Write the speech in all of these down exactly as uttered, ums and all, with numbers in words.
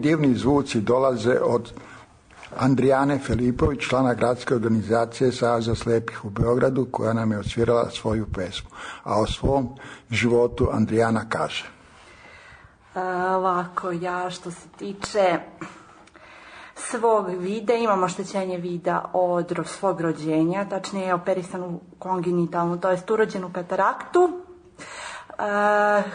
divni zvuci dolaze od Andrijane Filipović, člana gradske organizacije Saveza slepih u Beogradu, koja nam je odsvirala svoju pesmu. A o svom životu Andrijana kaže. Ovako, ja što se tiče svog vida, imam oštećenje vida od svog rođenja, tačnije operisanu kongenitalnu, to jest urođenu kataraktu.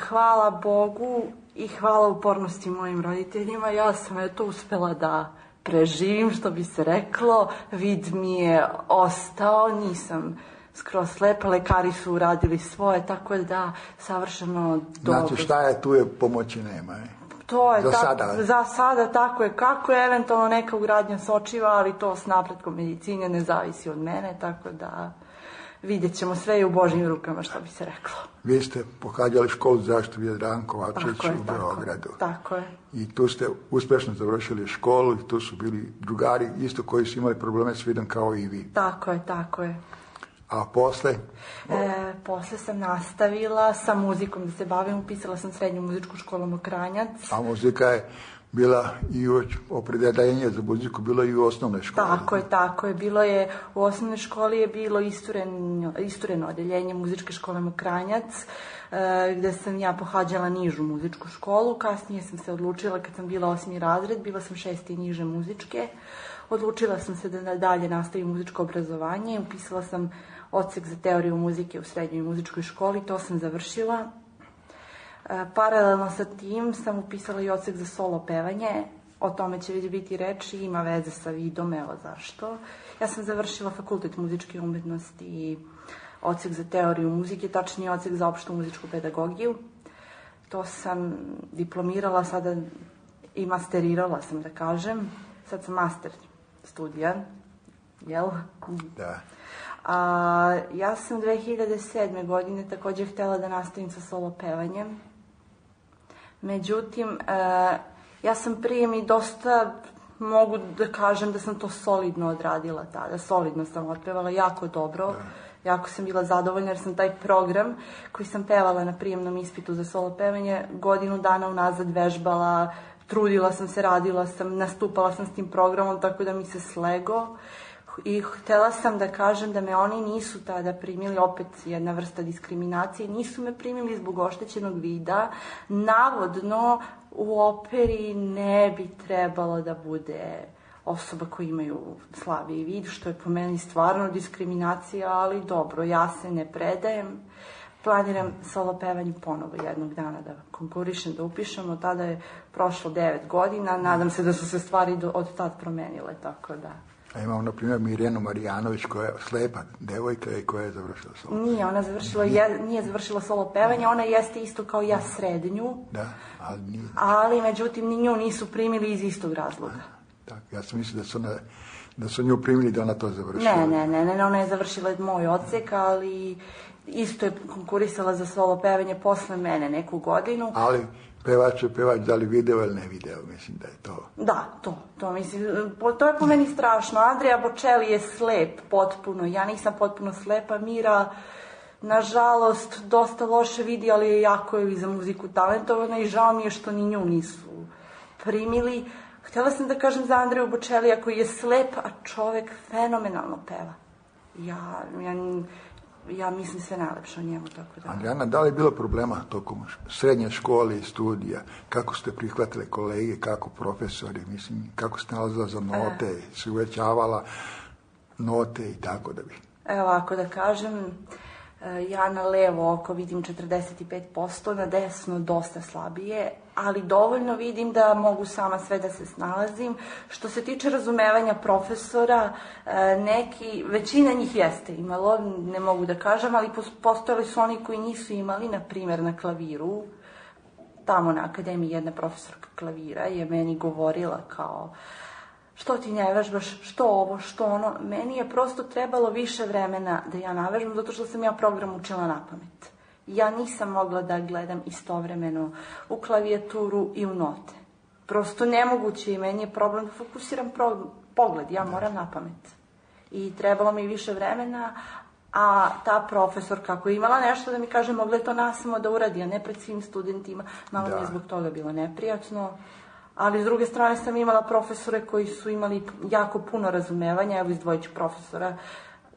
Hvala Bogu i hvala upornosti mojim roditeljima, ja sam eto uspela da preživim, što bi se reklo, vid mi je ostao, nisam skroz slepa, lekari su uradili svoje, tako da savršeno dobro. Znači šta je, tu je pomoći nema, je? To je za tako, sada. Za sada tako je kako je, eventualno neka ugradnja sočiva, ali to s napretkom medicine ne zavisi od mene, tako da vidjet ćemo, sve i u Božjim rukama, što bi se reklo. Vi ste pohađali školu za zaštitu Jadran Kovačević u Beogradu. Tako je. I tu ste uspješno završili školu i tu su bili drugari isto koji su imali probleme s vidom kao i vi. Tako je, tako je. A posle? E, posle sam nastavila sa muzikom da se bavim, upisala sam srednju muzičku školu Mokranjac. A muzika je bila i opredeljenje za muziku, bilo i u osnovnoj školi. Tako je, tako je. Bilo je, u osnovnoj školi je bilo istureno, istureno odeljenje muzičke škole Mokranjac, e, gde sam ja pohađala nižu muzičku školu. Kasnije sam se odlučila, kad sam bila osmi razred, bila sam šesti i niže muzičke. Odlučila sam se da dalje nastavim muzičko obrazovanje. Upisala sam odsek za teoriju muzike u srednjoj muzičkoj školi, to sam završila. E, paralelno sa tim sam upisala i odsek za solo pevanje, o tome će već biti reči, ima veze sa vidom, evo zašto. Ja sam završila fakultet muzičke umetnosti i odsek za teoriju muzike, tačnije odsek za opštu muzičku pedagogiju. To sam diplomirala sada i masterirala sam, da kažem. Sad sam master studija, jel? Da. A, ja sam dve hiljade sedme. godine također htjela da nastavim sa solo pevanjem. Međutim, e, ja sam prije mi dosta, mogu da kažem da sam to solidno odradila tada. Solidno sam otpevala, jako dobro. Da. Jako sam bila zadovoljna jer sam taj program koji sam pevala na prijemnom ispitu za solo pevanje godinu dana unazad vežbala, trudila sam se, radila sam, nastupala sam s tim programom, tako da mi se slego. I htjela sam da kažem da me oni nisu tada primili, opet jedna vrsta diskriminacije, nisu me primili zbog oštećenog vida. Navodno u operi ne bi trebalo da bude osoba koja imaju slabiji vid, što je po meni stvarno diskriminacija, ali dobro, ja se ne predajem. Planiram solo pevanje ponovo jednog dana da konkurišem, da upišem, od tada je prošlo devet godina, nadam se da su se stvari do, od tad promenile, tako da. A imamo, na primjer, Mirjanu Marijanović, koja je slepa devojka i koja je završila solo pevanje. Nije, ona završila, je, nije završila solo pevanje, ona jeste isto kao ja srednju, da, ali, nije. ali međutim ni nju nisu primili iz istog razloga. Tako, ja sam mislila da su, ona, da su nju primili da ona to završila. Ne, ne, ne, ne, ona je završila moj odsek, ali isto je konkurisala za solo pevanje posle mene neku godinu. Ali pevač je pevač, da li video ili ne video, mislim da je to. Da, to, to mislim, to je po meni strašno. Andrea Bocelli je slep potpuno, ja nisam potpuno slepa, Mira, nažalost, dosta loše vidi, ali je jako je i za muziku talentovana i žao mi je što ni nju nisu primili. Htjela sam da kažem za Andreju Bocelija koji je slep, a čovek fenomenalno peva. Ja, ja, ja mislim sve najlepše o njemu, tako da. Andrijana, da li je bilo problema tokom srednje škole i studija? Kako ste prihvatili kolege, kako profesori, mislim, kako ste nalazila za note, e. se uvećavala note i tako da bi? Evo, ako da kažem, ja na levo oko vidim četrdeset pet posto, na desno dosta slabije, ali dovoljno vidim da mogu sama sve da se snalazim. Što se tiče razumevanja profesora, neki, većina njih jeste imalo, ne mogu da kažem, ali postojali su oni koji nisu imali, na primjer na klaviru. Tamo na akademiji jedna profesorka klavira je meni govorila kao, što ti ne vežbaš, što ovo, što ono. Meni je prosto trebalo više vremena da ja navežbam, zato što sam ja program učila na pamet. Ja nisam mogla da gledam istovremeno u klavijaturu i u note. Prosto nemoguće i meni je problem da fokusiram pro... pogled, ja moram na pamet. I trebalo mi više vremena, a ta profesor kako je imala nešto da mi kaže, mogla je to nasamo da uradi, a ne pred svim studentima. Malo mi je zbog toga bilo neprijatno. ali s druge strane sam imala profesore koji su imali jako puno razumevanja, evo izdvojit ću profesora,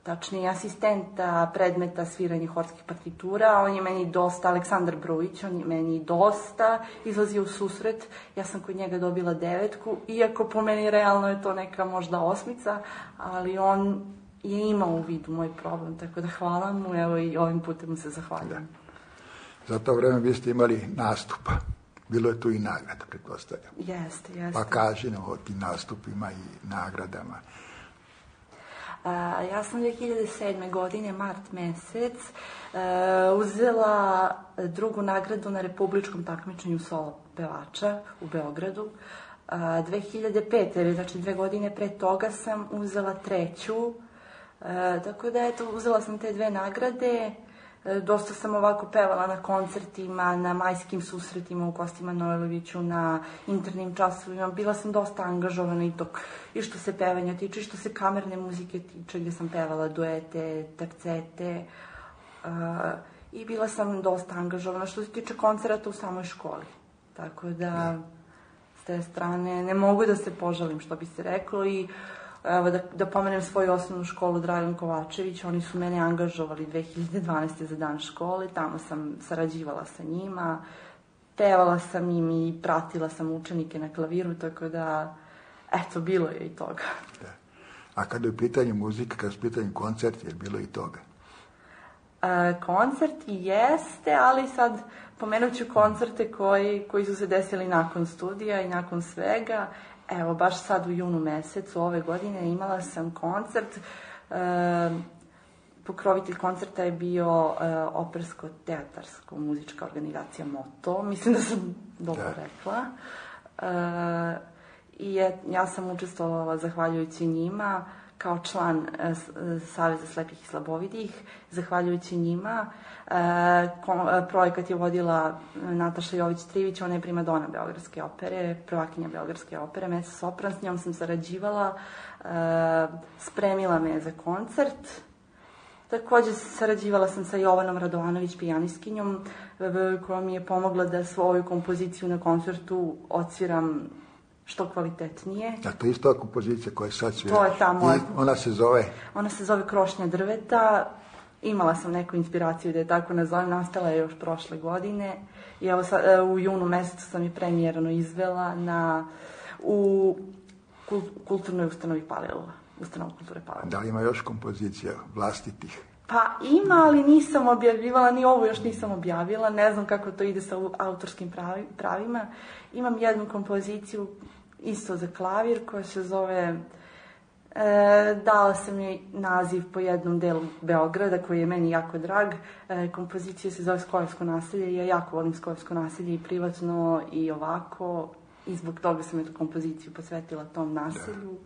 tačnije asistenta predmeta sviranje horskih partitura, on je meni dosta, Aleksandar Brujić, on je meni dosta izlazio u susret, ja sam kod njega dobila devetku, iako po meni realno je to neka možda osmica, ali on je imao u vidu moj problem, tako da hvala mu, evo i ovim putem mu se zahvaljujem. Za to vreme vi ste imali nastupa, bilo je tu i nagrada, pretpostavljam. Jeste, jeste. Pa kaži nam o tim nastupima i nagradama. Uh, ja sam dve hiljade sedme. godine, mart mesec, uh, uzela drugu nagradu na republičkom takmičenju solo pevača u Beogradu. Uh, dve hiljade pete. znači dve godine pre toga sam uzela treću. Uh, tako da, eto, uzela sam te dve nagrade. Dosta sam ovako pevala na koncertima, na majskim susretima u Kosti Manojloviću, na internim časovima. Bila sam dosta angažovana i, to, i što se pevanja tiče, i što se kamerne muzike tiče, gde sam pevala duete, tercete. Uh, I bila sam dosta angažovana što se tiče koncerata u samoj školi. Tako da, s te strane, ne mogu da se požalim, što bi se reklo. I evo, da, da pomenem svoju osnovnu školu Dragan Kovačević, oni su mene angažovali dve hiljade dvanaeste. za dan škole, tamo sam sarađivala sa njima, pevala sam im i pratila sam učenike na klaviru, tako da, eto, bilo je i toga. Da. A kada je u pitanju muzika, kada je u pitanju koncerti, je bilo i toga? E, koncerti jeste, ali sad pomenut ću koncerte koji, koji su se desili nakon studija i nakon svega. Evo, baš sad u junu mesecu ove godine imala sam koncert. E, pokrovitelj koncerta je bio e, opersko-teatarsko-muzička organizacija Moto. Mislim da sam dobro da. rekla. E, I je, ja sam učestvovala zahvaljujući njima kao član e, Saveza slepih i slabovidih. Zahvaljujući njima e, ko, e, projekat je vodila Nataša Jović-Trivić, ona je primadona Beogradske opere, prvakinja Beogradske opere, mezzo sopran, s njom sam sarađivala, e, spremila me za koncert. Takođe sarađivala sam sa Jovanom Radovanović, pijanistkinjom, koja mi je pomogla da svoju kompoziciju na koncertu odsviram što kvalitetnije. A to je isto kompozicija koja sad svira. To je ta moja. I ona se zove? Ona se zove Krošnja drveta. Imala sam neku inspiraciju da je tako nazovem, nastala je još prošle godine. I evo sad, u junu mesecu sam je premijerno izvela na, u kulturnoj ustanovi Palilula. Ustanova kulture Palilula. Da li ima još kompozicija vlastitih? Pa ima, ali nisam objavljivala, ni ovu još nisam objavila, ne znam kako to ide sa autorskim pravi, pravima. Imam jednu kompoziciju isto za klavir koja se zove, e, dala sam joj naziv po jednom delu Beograda koji je meni jako drag. E, kompozicija se zove Skojevsko naselje i ja jako volim Skojevsko naselje i privatno i ovako i zbog toga sam eto kompoziciju posvetila tom naselju.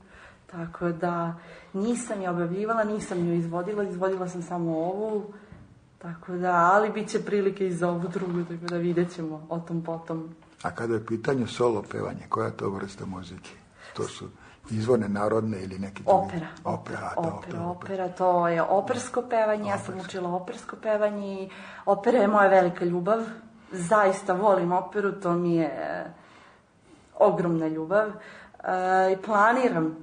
Tako da nisam je objavljivala, nisam ju izvodila, izvodila sam samo ovu, tako da, ali bit će prilike i za ovu drugu, tako da vidjet ćemo o tom potom. A kada je pitanje solo pevanje, koja je to vrsta muzike? To su izvorne, narodne ili neki drugi? Opera. Opera, opera, opera, opera, to je opersko pevanje, ja sam učila opersko pevanje i opera je moja velika ljubav. Zaista volim operu, to mi je ogromna ljubav. E, i planiram,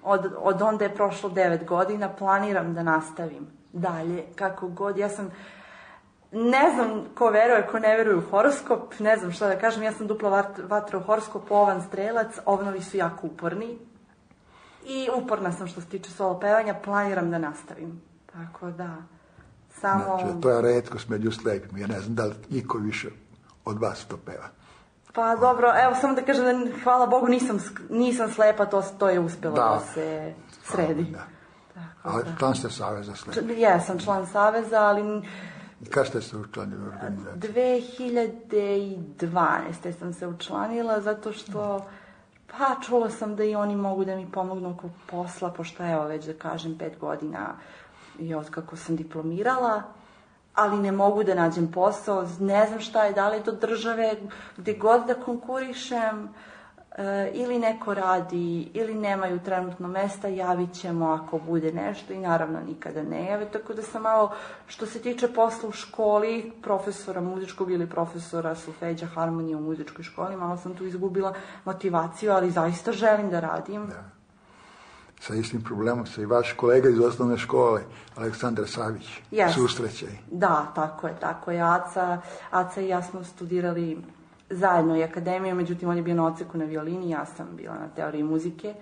od, od onda je prošlo devet godina, planiram da nastavim dalje, kako god. Ja sam, ne znam ko veruje, ko ne veruje u horoskop, ne znam šta da kažem, ja sam dupla vatra u horoskopu, ovan strelac, ovnovi su jako uporni i uporna sam što se tiče solo pevanja, planiram da nastavim, tako da samo... Znači, to je retkost među slepima, ja ne znam da li niko više od vas to peva. Pa dobro, evo samo da kažem da hvala Bogu nisam, nisam slepa, to, to je uspelo da, da se sredi. Da. Tako, ali da. Član ste Saveza slepih? Jesam član Saveza, ali... Kada ste se učlanili u organizaciju? dve hiljade dvanaeste. sam se učlanila zato što, pa čula sam da i oni mogu da mi pomognu oko posla, pošto evo već da kažem pet godina i od kako sam diplomirala, ali ne mogu da nađem posao, ne znam šta je, da li do države, gde god da konkurišem, e, ili neko radi, ili nemaju trenutno mesta, javit ćemo ako bude nešto i naravno nikada ne jave, tako da sam malo, što se tiče posla u školi, profesora muzičkog ili profesora solfeđa, harmonije u muzičkoj školi, malo sam tu izgubila motivaciju, ali zaista želim da radim. Da. Sa istim problemom se i vaš kolega iz osnovne škole, Aleksandar Savić, yes. susreće. Da, tako je, tako je. Aca, Aca i ja smo studirali zajedno i akademiju, međutim on je bio na odseku na violini, ja sam bila na teoriji muzike,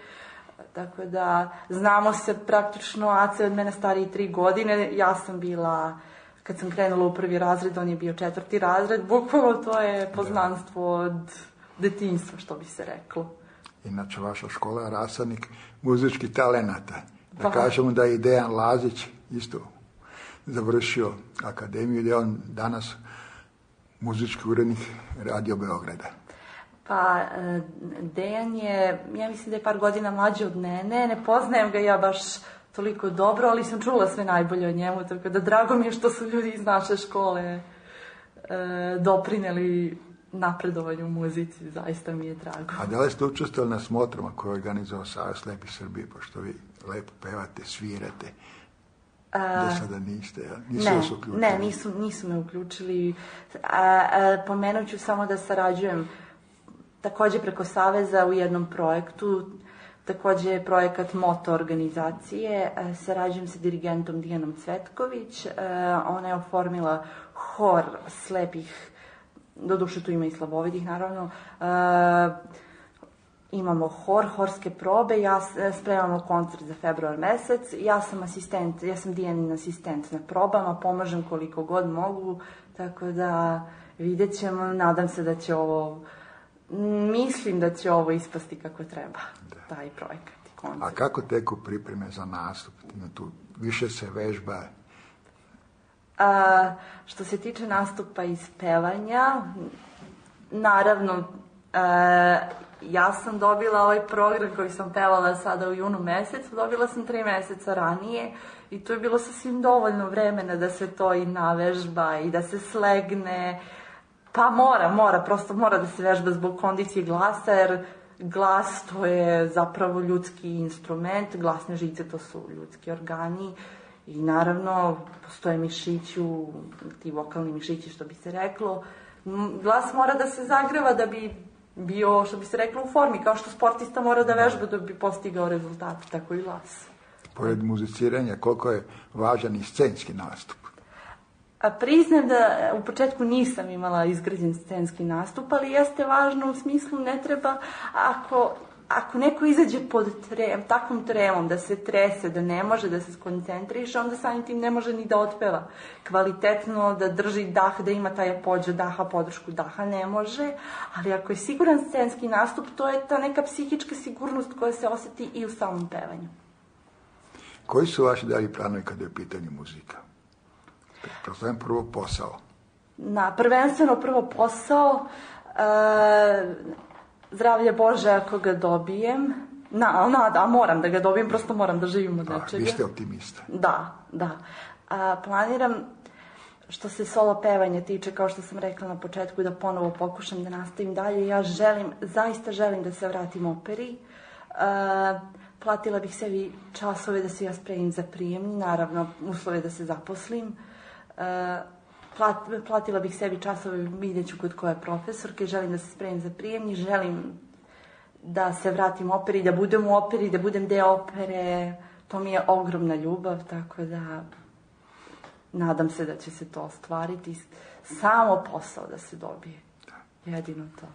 tako da znamo se praktično, Aca je od mene stariji tri godine, ja sam bila, kad sam krenula u prvi razred, on je bio četvrti razred, bukvalno to je poznanstvo od detinjstva, što bi se reklo. Inače, vaša škola je rasadnik muzičkih talenata. Da pa. Kažemo da je i Dejan Lazić isto završio akademiju, da je on danas muzički urednik Radio Beograda. Pa, Dejan je, ja mislim da je par godina mlađi od mene, ne poznajem ga ja baš toliko dobro, ali sam čula sve najbolje o njemu, tako da drago mi je što su ljudi iz naše škole e, doprineli napredovanju u muzici, zaista mi je drago. A da li ste učestvovali na smotrama koje je organizovao Savez slepih Srbije, pošto vi lepo pevate, svirate? Da sada niste, ja? Nisu ne, vas uključili? Ne, nisu, nisu me uključili. A, a, pomenut ću samo da sarađujem takođe preko Saveza u jednom projektu, takođe je projekat Moto organizacije, a, sarađujem sa dirigentom Dijanom Cvetković, a, ona je oformila hor slepih, doduše tu ima i slabovidih naravno, a, imamo hor, horske probe, ja spremamo koncert za februar mesec, ja sam asistent, ja sam Dijanin asistent na probama, pomažem koliko god mogu, tako da vidjet ćemo, nadam se da će ovo, mislim da će ovo ispasti kako treba, da. Taj projekat i koncert. A kako teku pripreme za nastup? Tu više se vežba? A, što se tiče nastupa i pevanja, naravno, a, ja sam dobila ovaj program koji sam pevala sada u junu mesecu, dobila sam tri meseca ranije i to je bilo sasvim dovoljno vremena da se to i navežba i da se slegne. Pa mora, mora, prosto mora da se vežba zbog kondicije glasa, jer glas to je zapravo ljudski instrument, glasne žice to su ljudski organi i naravno postoje mišići, ti vokalni mišići što bi se reklo. Glas mora da se zagreva da bi bio, što bi se reklo, u formi, kao što sportista mora da vežba da bi postigao rezultat, tako i glas. Pored muziciranja, koliko je važan i scenski nastup? A priznam da u početku nisam imala izgrađen scenski nastup, ali jeste važno u smislu ne treba, ako, ako neko izađe pod trem, takvom tremom, da se trese, da ne može da se skoncentriše, onda samim tim ne može ni da otpeva kvalitetno, da drži dah, da ima taj apođe daha, podršku daha, ne može, ali ako je siguran scenski nastup, to je ta neka psihička sigurnost koja se oseti i u samom pevanju. Koji su vaši dalji planovi kada je u pitanju muzika? Prostavljam prvo posao. Na, prvenstveno prvo posao, e, zdravlje Bože ako ga dobijem, na, na, da, moram da ga dobijem, prosto moram da živim od nečega. Vi ste optimista. Da, da. A, planiram, što se solo pevanja tiče, kao što sam rekla na početku, da ponovo pokušam da nastavim dalje. Ja želim, zaista želim da se vratim operi. A, platila bih sebi časove da se ja spremim za prijemni, naravno uslove da se zaposlim. Plat, platila bih sebi časove, vidjet ću kod koje profesorke, želim da se spremim za prijemni, želim da se vratim operi, da budem u operi, da budem deo opere, to mi je ogromna ljubav, tako da nadam se da će se to ostvariti, samo posao da se dobije, jedino to.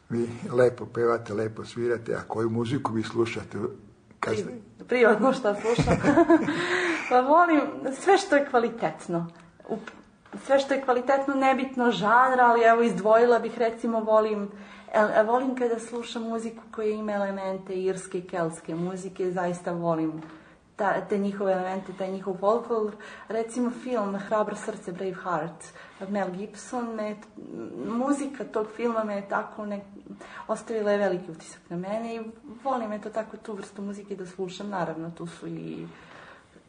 Vi lepo pevate, lepo svirate, a koju muziku vi slušate? Kad ste... Privatno šta slušam. Pa volim sve što je kvalitetno. Sve što je kvalitetno, nebitno žanra, ali evo izdvojila bih, recimo volim, volim kada slušam muziku koja ima elemente irske i keltske muzike, zaista volim ta, te njihove elemente, taj njihov folklor. Recimo film Hrabro srce, Brave Heart, Mel Gibson, me, muzika tog filma me je tako ne, ostavila je veliki utisak na mene i volim eto tako tu vrstu muzike da slušam. Naravno, tu su i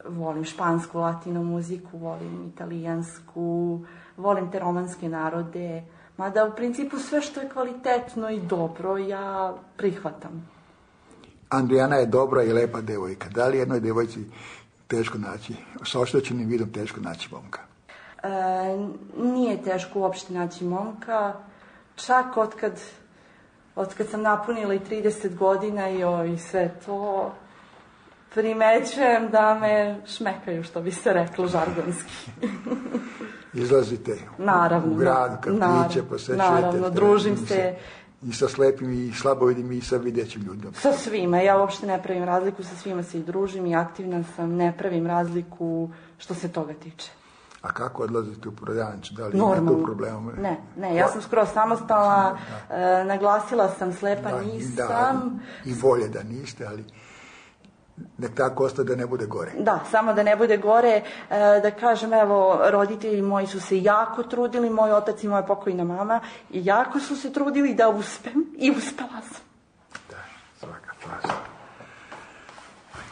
volim špansku, latino muziku, volim italijansku, volim te romanske narode, Mada u principu sve što je kvalitetno i dobro ja prihvatam. Andrijana je dobra i lepa devojka. Da li jednoj devojci teško naći, sa oštećenim vidom teško naći momka? E, nije teško uopšte naći momka. Čak otkad, otkad sam napunila i trideset godina i, o, i sve to, primećujem da me šmekaju, što bi se reklo žargonski. Izlazite naravno, u grad, kafiće, posjećujete. Naravno, družim se. I sa slepim i slabovidim i sa videćim ljudima. Sa svima. Ja uopšte ne pravim razliku, sa svima se i družim i aktivna sam, ne pravim razliku što se toga tiče. A kako odlazite u prodavnicu? Da li normalno. Ima tu problema? Ne, ne, ja sam skoro samostalna, e, naglasila sam slepa da, nisam. Da, i bolje da niste, ali nek tako ostaje da ne bude gore. Da, samo da ne bude gore, e, da kažem, evo, roditelji moji su se jako trudili, moj otac i moja pokojna mama, i jako su se trudili da uspem i uspela sam. Da, svaka čast.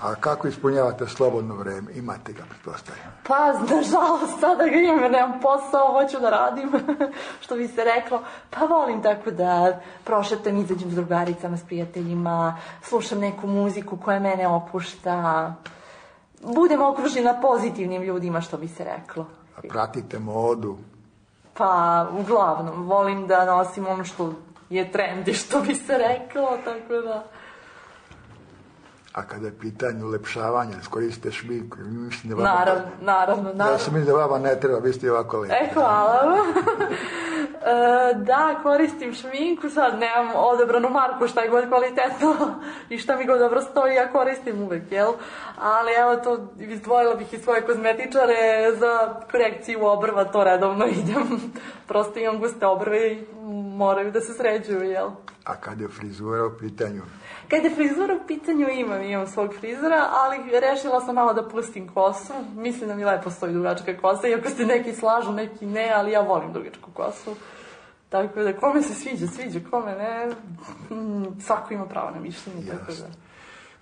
A kako ispunjavate slobodno vreme? Imate ga, pretpostavljam? Pa, nažalost, sada ga imam, jer nemam posao, hoću da radim, što bi se reklo. Pa volim tako da prošetam, izađem s drugaricama, s prijateljima, slušam neku muziku koja mene opušta, budem okružena pozitivnim ljudima, što bi se reklo. A pratite modu? Pa, uglavnom, volim da nosim ono što je trendi, što bi se reklo, tako da... A kada je pitanje ulepšavanja, koristite šminku? Mislim da vama... Naravno, naravno, naravno. Ja sam mislim da vama ne treba, vi ste ovako lepi. E, hvala. e, da, koristim šminku, sad nemam odabranu marku, šta je god kvalitetno i šta mi god dobro stoji, ja koristim uvek, jel? Ali evo to, izdvojila bih i svoje kozmetičare za korekciju obrva, to redovno idem. Prosto imam guste obrve i moraju da se sređuju, jel? A kada je frizura u pitanju? Kada je frizura u pitanju, imam, imam svog frizora, ali rešila sam malo da pustim kosu. Mislim da mi lepo stoji dugačka kosa, iako se neki slažu, neki ne, ali ja volim dugačku kosu. Tako da, kome se sviđa, sviđa, kome ne, svako ima pravo na mišljenje, tako da.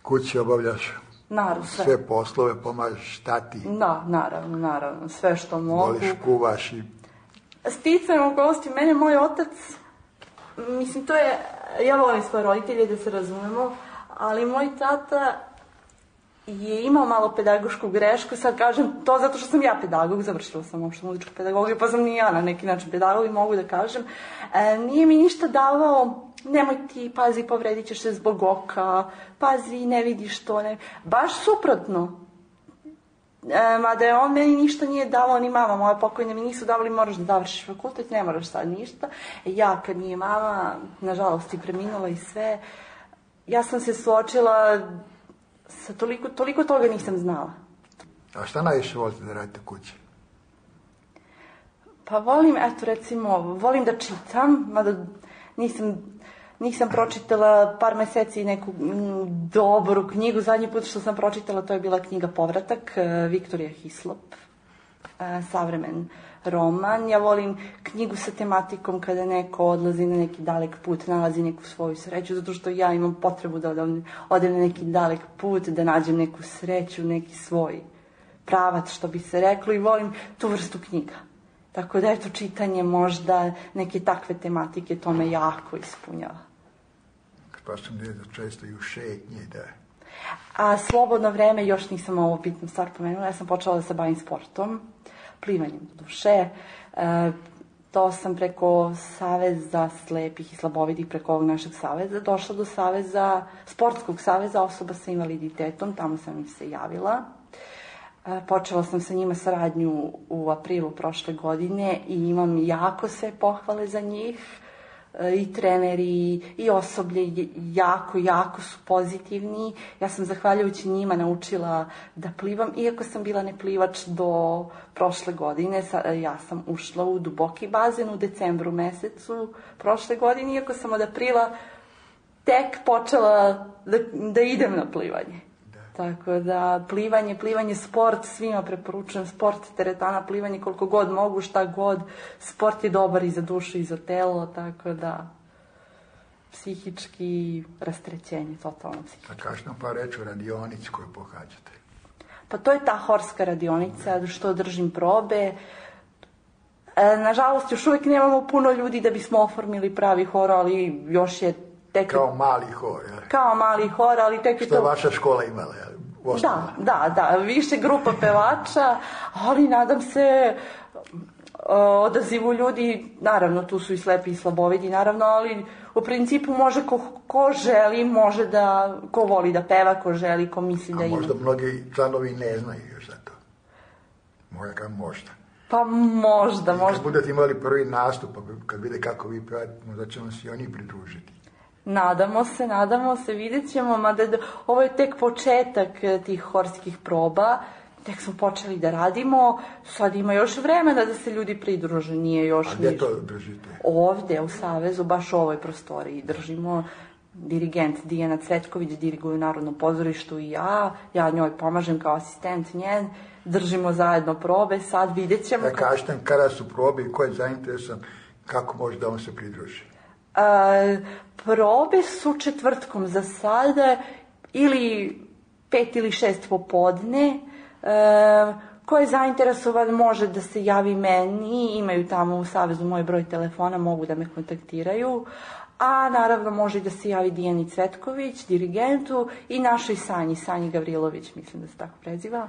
Kući obavljaš? Naravno, sve. Sve poslove, pomažeš tati? Da, naravno, naravno, sve što mogu. Voliš, kuvaš i... Sticajem okolnosti, mene moj otac, mislim, to je, ja volim svoje roditelje, da se razumemo, ali moj tata je imao malo pedagošku grešku, sad kažem to zato što sam ja pedagog, završila sam uopšte muzičku pedagogiju, pa sam i ja na neki način pedagog i mogu da kažem, e, nije mi ništa davao, nemoj ti, pazi, povredit ćeš se zbog oka, pazi, ne vidiš to, ne, baš suprotno. E, mada je on meni ništa nije davao, ni mama moja pokojna mi nisu davali, moraš da završiš fakultet, ne moraš sad ništa. Ja kad mi je mama, nažalost, i preminula i sve, ja sam se suočila sa toliko, toliko toga nisam znala. A šta najviše volite da radite kući? Pa volim, eto recimo, volim da čitam, mada nisam... Nisam pročitala par meseci neku m, dobru knjigu. Zadnji put što sam pročitala to je bila knjiga Povratak, Viktorija Hislop, savremen roman. Ja volim knjigu sa tematikom kada neko odlazi na neki dalek put, nalazi neku svoju sreću, zato što ja imam potrebu da odem, odem na neki dalek put, da nađem neku sreću, neki svoj pravac, što bi se reklo, i volim tu vrstu knjiga. Tako da, eto, čitanje možda neke takve tematike, to me jako ispunjava. Pa sam gdje često i u šetnje, da. A slobodno vreme, još nisam ovo bitnu stvar pomenula, ja sam počela da se bavim sportom, plivanjem do duše. E, to sam preko Saveza slepih i slabovidih, preko ovog našeg saveza, došla do saveza, sportskog saveza osoba sa invaliditetom, tamo sam im se javila. Počela sam sa njima saradnju u aprilu prošle godine i imam jako sve pohvale za njih. I treneri i osoblje jako, jako su pozitivni. Ja sam zahvaljujući njima naučila da plivam, iako sam bila neplivač do prošle godine. Ja sam ušla u duboki bazen u decembru mesecu prošle godine, iako sam od aprila tek počela da, da idem na plivanje. Tako da, plivanje, plivanje, sport, svima preporučujem sport, teretana, plivanje koliko god mogu, šta god. Sport je dobar i za dušu i za telo, tako da, psihički rastrećenje, totalno psihički. A kaži nam par reći o radionici koju pohađate? Pa to je ta horska radionica, što držim probe. E, nažalost, još uvijek nemamo puno ljudi da bismo oformili pravi hor, ali još je tek... Kao mali hor, jel? Kao mali hor, ali tek je to... Što je vaša škola imala, jel? Da, da, da, više grupa pevača, ali nadam se odazivu ljudi, naravno tu su i slepi i slabovidi, naravno, ali u principu može ko, ko želi, može da, ko voli da peva, ko želi, ko misli da ima. A ima. možda mnogi članovi ne znaju još za to. Možda, možda. Pa možda, I možda. kad budete imali prvi nastup, kad vide kako vi pevate, možda ćemo se i oni pridružiti. Nadamo se, nadamo se, vidjet ćemo, mada ovo je tek početak tih horskih proba, tek smo počeli da radimo, sad ima još vremena da se ljudi pridruže, nije još... A gdje to držite? Ovdje, u Savezu, baš u ovoj prostoriji držimo. Dirigent Dijana Cvetković diriguje u Narodnom pozorištu i ja, ja njoj pomažem kao asistent njen, držimo zajedno probe, sad vidjet ćemo... Da kažete kada su probe i ko je zainteresan, kako može da on se pridruži? A, probe su četvrtkom za sada ili pet ili šest popodne. E, ko je zainteresovan može da se javi meni, imaju tamo u Savezu moj broj telefona, mogu da me kontaktiraju. A naravno može da se javi Dijani Cvetković, dirigentu, i našoj Sanji, Sanji Gavrilović, mislim da se tako preziva.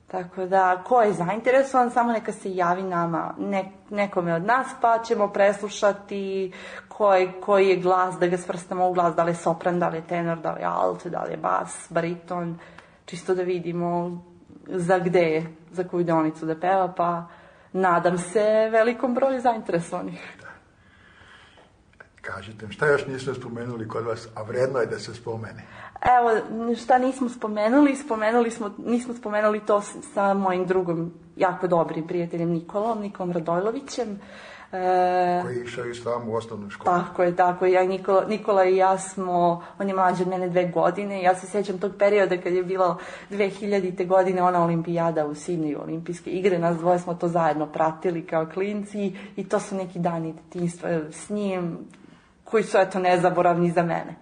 Tako da, ko je zainteresovan, samo neka se javi nama, ne, nekome od nas, pa ćemo preslušati koji, koji je glas, da ga svrstamo u glas, da li je sopran, da li je tenor, da li je alt, da li je bas, bariton, čisto da vidimo za gde je, za koju deonicu da peva, pa nadam se velikom broju zainteresovanih. Kažete mi, šta još nismo spomenuli kod vas, a vredno je da se spomene? Evo, šta nismo spomenuli, spomenuli smo, nismo spomenuli to sa mojim drugom, jako dobrim prijateljem Nikolom, Nikolom Radojlovićem. E, koji je išao i s vama u osnovnu školu. Tako je, tako je. Ja, Nikola, Nikola i ja smo, on je mlađi od mene dve godine, ja se sjećam tog perioda kad je bilo dve hiljadite godine ona olimpijada u Sidneju, olimpijske igre, nas dvoje smo to zajedno pratili kao klinci i to su neki dani detinjstva s njim, koji su, eto, nezaboravni za mene.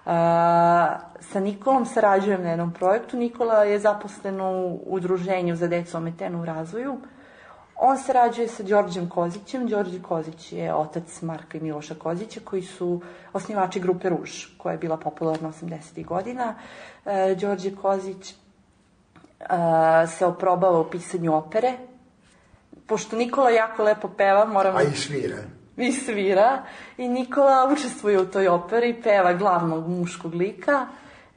Uh, sa Nikolom sarađujem na jednom projektu. Nikola je zaposlen u udruženju za decu ometenu u razvoju. On sarađuje sa Đorđem Kozićem. Đorđe Kozić je otac Marka i Miloša Kozića, koji su osnivači grupe Ruž, koja je bila popularna osamdesetih godina. Uh, Đorđe Kozić uh, se oprobava u pisanju opere. Pošto Nikola jako lepo peva, moramo... A i svira. I svira. I Nikola učestvuje u toj operi, peva glavnog muškog lika.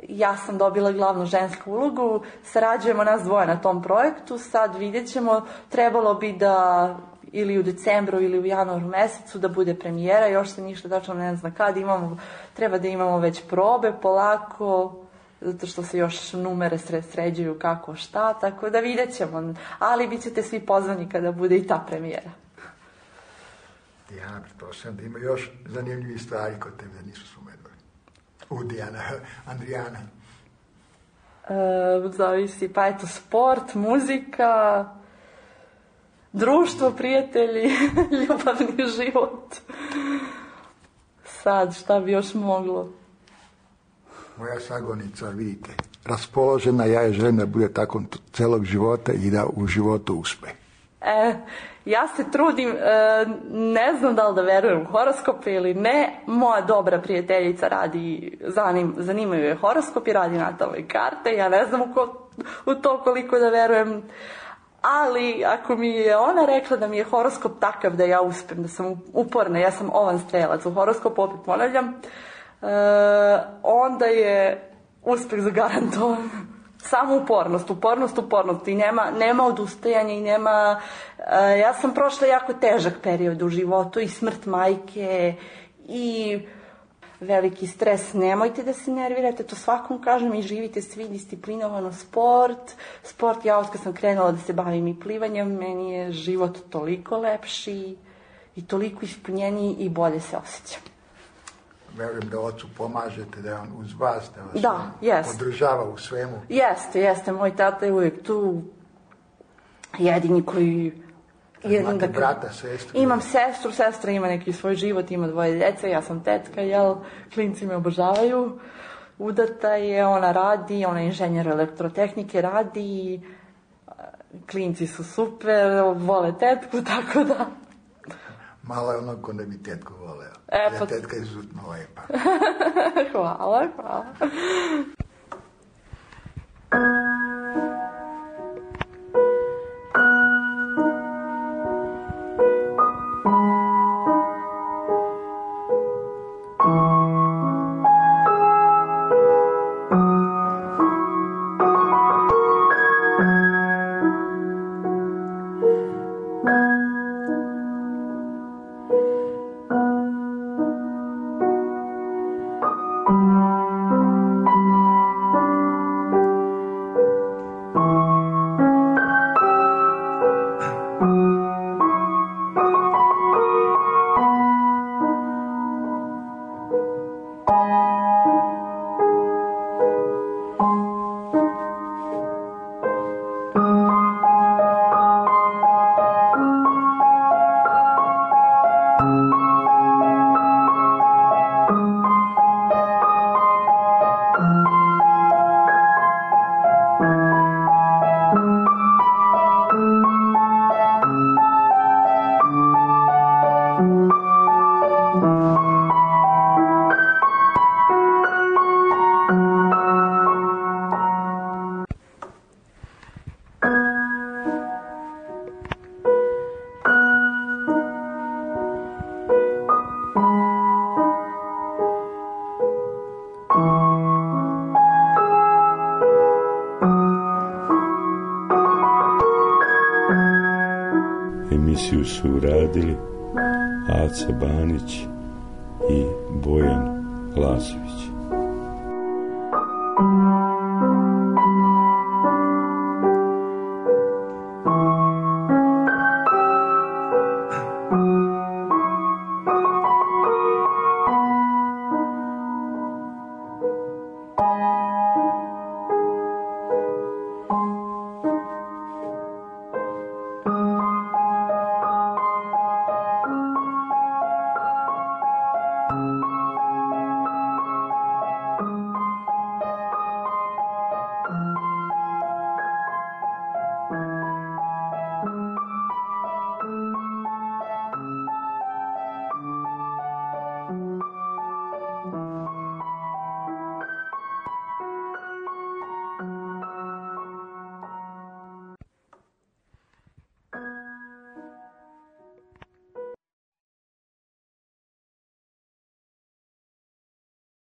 Ja sam dobila glavnu žensku ulogu. Sarađujemo nas dvoje na tom projektu. Sad vidjet ćemo, trebalo bi da ili u decembru ili u januaru mesecu da bude premijera. Još se ništa tačno ne zna kad. Imamo, treba da imamo već probe polako, zato što se još numere sređuju kako šta. Tako da vidjet ćemo. Ali bit ćete svi pozvani kada bude i ta premijera. Ja pretpostavljam da ima još zanimljivih stvari kod tebe da nisu spomenuli. U Dijana, Andrijana. E, zavisi, pa eto, sport, muzika, društvo, prijatelji, ljubavni život. Sad, šta bi još moglo? Moja sagonica, vidite, raspoložena, ja je želim da bude tako celog života i da u životu uspe. E, ja se trudim, e, ne znam da li da verujem u horoskope ili ne, moja dobra prijateljica radi, zanim, zanimaju je horoskopi, radi natalne karte, ja ne znam u, ko, u to koliko da verujem, ali ako mi je ona rekla da mi je horoskop takav da ja uspem, da sam uporna, ja sam ovan strelac u horoskopu, opet ponavljam, e, onda je uspeh zagarantovan. Samo upornost, upornost, upornost i nema, nema odustajanja i nema... Uh, ja sam prošla jako težak period u životu i smrt majke i veliki stres. Nemojte da se nervirate, to svakom kažem i živite svi disciplinovano sport. Sport, ja od kad sam krenula da se bavim i plivanjem, meni je život toliko lepši i toliko ispunjeniji i bolje se osjećam. Verujem da ocu pomažete, da je on uz vas, da vas da, jest. podržava u svemu. Jeste, jeste. Moj tata je uvijek tu, jedini koji... Imate da, brata, sestru? Imam sestru, sestra ima neki svoj život, ima dvoje djece, ja sam tetka, jel, klinci me obožavaju. Udata je, ona radi, ona je inženjer elektrotehnike, radi, klinci su super, vole tetku, tako da... Malo je ono ko da bi tetku voleo. E, ja, pa... tetka je izuzetno lepa. Hvala, hvala. Emisiju su uradili Aca Banić i Bojan Lazović.